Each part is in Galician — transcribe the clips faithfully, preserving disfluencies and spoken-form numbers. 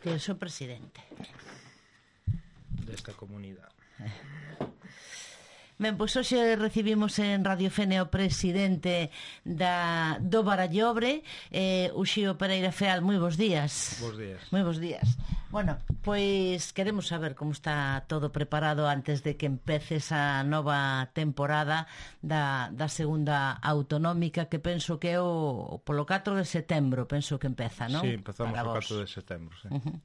Que eu sou presidente desta comunidade. Ben, pois hoxe recibimos en Radio Fene o presidente da, do Barallobre, eh, Uxío Pereira Feal. Moi bons días. Bos días. Moi bons días. Bueno, pois queremos saber como está todo preparado antes de que empece esa nova temporada da, da segunda autonómica, que penso que é o polo catro de setembro, penso que empeza, non? Sí, empezamos o catro de setembro, sí. Uh-huh.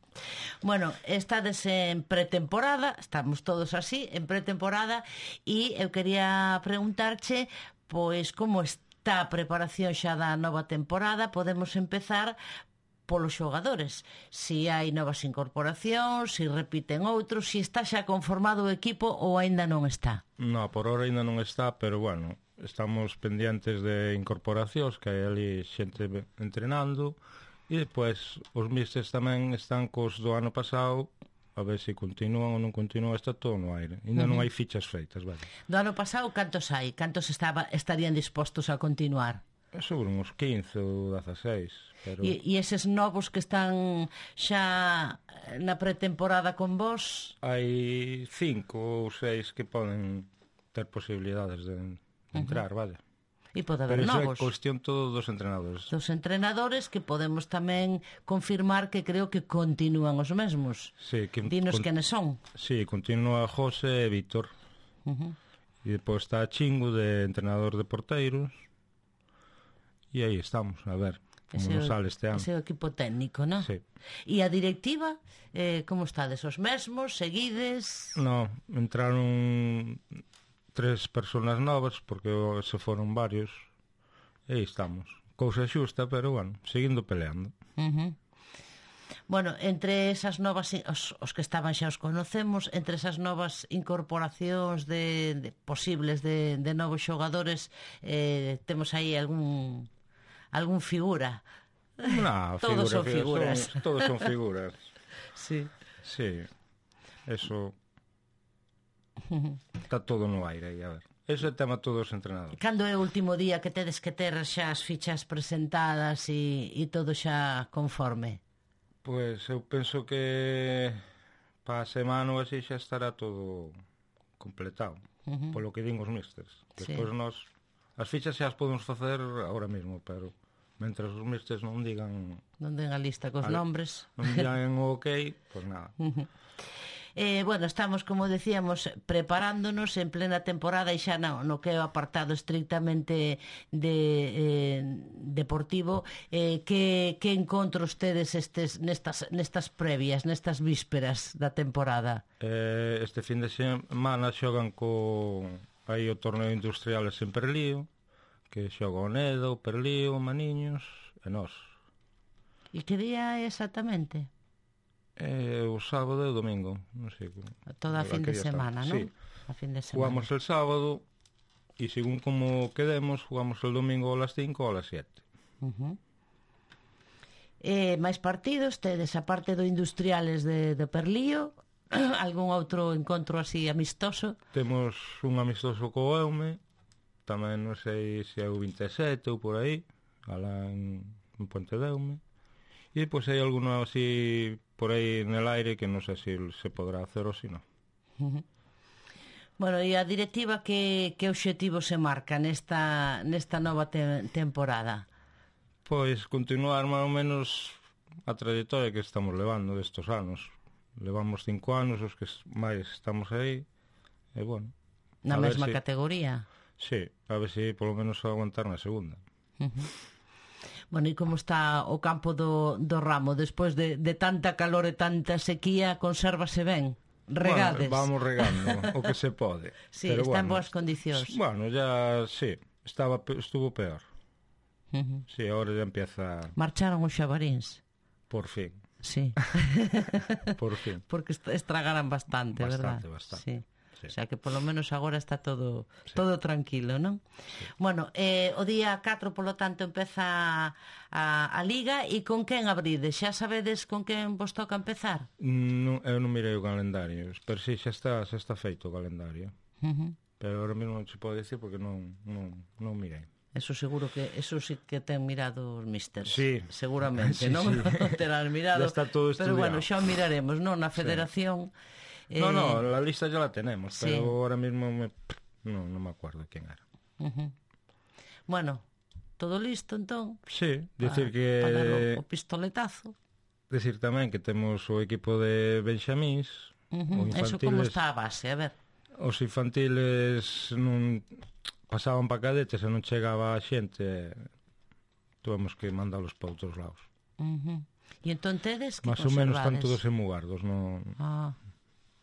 Bueno, estades en pretemporada, estamos todos así, en pretemporada, e eu quería preguntarche, pois, como está a preparación xa da nova temporada. Podemos empezar polos xogadores, si hai novas incorporacións, si repiten outros, si está xa conformado o equipo ou aínda non está. No, por hora aínda non está, pero bueno, estamos pendientes de incorporacións, que hai ali xente entrenando, e depois os místers tamén están cos do ano pasado, a ver se continúan ou non continúan. Está todo no aire, ainda uh-huh. non hai fichas feitas, vale. Do ano pasado cantos hai? Cantos estaba, estarían dispostos a continuar? Seguro uns quince ou dezaseis, pero... E, e eses novos que están xa na pretemporada con vos? Hai cinco ou seis que poden ter posibilidades de entrar, uh-huh. vale. E pode haber pero novos. Pero é cuestión todo dos entrenadores. Dos entrenadores, que podemos tamén confirmar que creo que continúan os mesmos. Sí, que, dinos con, quenes son. Sí, continúa José e Víctor. Uh-huh. E depois está Chingo, de entrenador de porteiros. E aí estamos, a ver como ese, nos sale este ano. Ese equipo técnico, non? Sí. E a directiva, eh, como estades? Os mesmos? Seguides? No, entraron tres personas novas, porque se foron varios, e aí estamos. Cousa xusta, pero bueno, seguindo peleando. Uh-huh. Bueno, entre esas novas, os, os que estaban xa os conocemos, entre esas novas incorporacións de, de posibles de, de novos xogadores, eh, temos aí algún algún figura. No, todos figura, son figuras. Son, todos son figuras. Sí. Sí, eso... Está todo no aire aí, a ver. Ese é o tema todos os entrenadores. Cando é o último día que tedes que ter xa as fichas presentadas e, e todo xa conforme? Pois eu penso que para a semana ou así xa estará todo completado, uh-huh. polo que din os místers. Despois sí. Nós as fichas xa as podemos facer agora mesmo, pero mentras os místers non digan... Non den a lista cos a, nombres. Non digan o ok, pois nada. Uh-huh. Eh, bueno, estamos, como decíamos, preparándonos en plena temporada, e xa no, no que é o apartado estrictamente de eh, deportivo. eh, que, que encontros tedes estes, nestas, nestas previas, nestas vísperas da temporada? Eh, este fin de semana xogan co aí o torneo industriales en Perlío, que xoga o Neda, o Perlío, o Maniños e nós. E que día é exactamente? Eh, o sábado e o domingo, non sei. Toda a fin de semana, non? Sí. A fin de semana. Jugamos el sábado e según como quedemos, jugamos el domingo a las cinco ou a las siete. Uh-huh. Eh, máis partidos tedes, aparte do Industriales de, de Perlío, algún outro encontro así amistoso? Temos un amistoso co Eume, tamén non sei se é o vinte e sete ou por aí, alá en, en Ponte de Eume. E depois hai alguno así por aí en el aire que non sei se se podrá hacer ou se non. Uh-huh. Bueno, e a directiva que, que obxectivo se marca nesta, nesta nova te, temporada? Pois continuar máis ou menos a trayectoria que estamos levando destos anos. Levamos cinco anos os que máis estamos aí, e bueno, na mesma si, categoría? Sí, a ver se polo menos aguantar na segunda. Uh-huh. Bueno, e como está o campo do, do Ramo despois de, de tanta calor e tanta sequía? Consérvase ben? Regades? Bueno, vamos regando o que se pode. Sí, pero está bueno, en boas condicións. Bueno, ya, sí, estaba, estuvo peor. Uh-huh. Sí, ahora ya empieza... Marcharon os xabaríns? Por fin. Sí. Por fin. Porque estragaran bastante, verdad? Bastante, bastante. Sí. Sí. O sea que polo menos agora está todo sí. todo tranquilo, non? Sí. Bueno, eh, o día catro, polo tanto, empeza a, a Liga. E con quen abrides? Xa sabedes con quen vos toca empezar? Non, eu non mirei o calendario, pero si, xa está, xa está feito o calendario. Uh-huh. Pero ahora mesmo non se pode decir porque non, non, non mirei. Eso seguro que eso sí que ten mirado os místers. Sí. Seguramente, Sí, non? sí. Non terán mirado. Ya está todo pero estudiado. bueno, xa o miraremos, non? Na federación. Sí. No, eh... no, la lista ya la tenemos, sí. pero ahora mismo me... no, no me acuerdo quién era. Uh-huh. Bueno, todo listo entón? Sí, decir para, que... para o, o pistoletazo. Decir tamén que temos o equipo de Benxamís, uh-huh. Infantiles... Eso como está a base, a ver. Os infantiles non pasaban pa cadetes e non chegaba a xente, tuvemos que mandalos para outros lados. Uh-huh. E entón tedes que más ou menos están conservades? todos en Mugardos, non... Ah.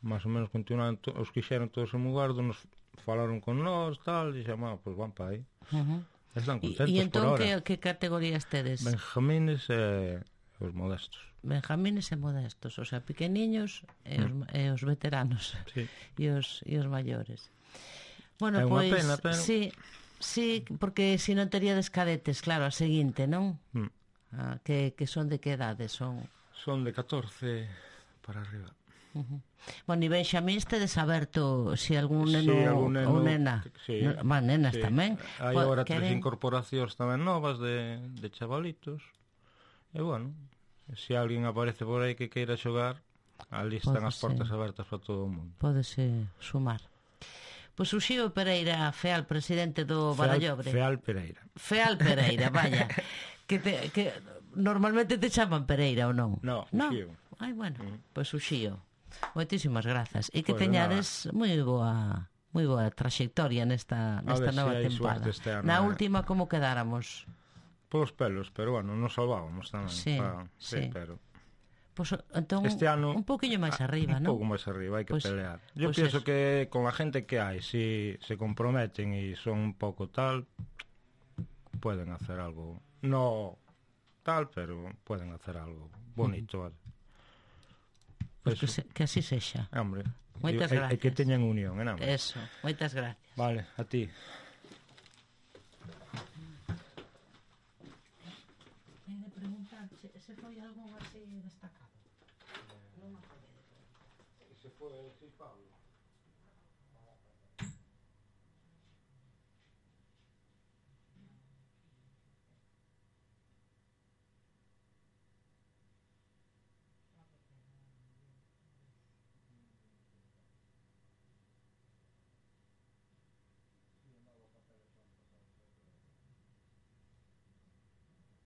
Más ou menos continuaron, to... os quixeron todos en Mugardos, nos falaron con nós, tal, e xamá, pois pues van para aí. Uh-huh. Están contentos e entón por ahora. que, que categorías tedes? Benjamines e os modestos. Benjamines e modestos, o sea, pequeniños e os, mm. e os veteranos. Sí. E os, e os maiores. Bueno, é unha pois, pena, pero... sí, sí, porque se non teríades cadetes, claro, a seguinte, non? Mm. Ah, que, que son de que edade? Son Son de catorce para arriba. Uh-huh. Bueno, e Benxamíns tedes aberto se si algún neno, sí, algún neno ou nena sí, no, más nenas sí. tamén hai agora tres queren... incorporacións tamén novas de, de chavalitos e bueno, se si alguén aparece por aí que queira xogar, ali están Pode as portas ser. abertas para todo o mundo. Pódese sumar. Pois o Xío Pereira Feal, presidente do Feal, Barallobre. Feal Pereira. Feal Pereira, vaya. que, te, que normalmente te chaman Pereira ou non? No, no? Xío. Ai, bueno, Mm. pois o Xío. Moitísimas grazas. E que Pues teñades moi boa moi boa traxectoria nesta, nesta nova si tempada. este ano, Na eh. última como quedáramos? Polos pelos, pero bueno, nos salvábamos tamén. Sí, pa, sí. sí, pero... Pois pues, entón este ano un poquinho máis arriba, un non? pouco máis arriba, hai que pues, pelear. Yo pues pienso eso. que con la gente que hai, si se comprometen y son un poco tal, pueden hacer algo, no tal, pero pueden hacer algo bonito, vale. Pues que, se, que así sexa. Hombre, moitas e, gracias. e que teñan unión, en hombre. Eso, moitas gracias. Vale, a ti. Ten de preguntarche se foi algún así destacado. Non me acordo. Se foi el Pablo.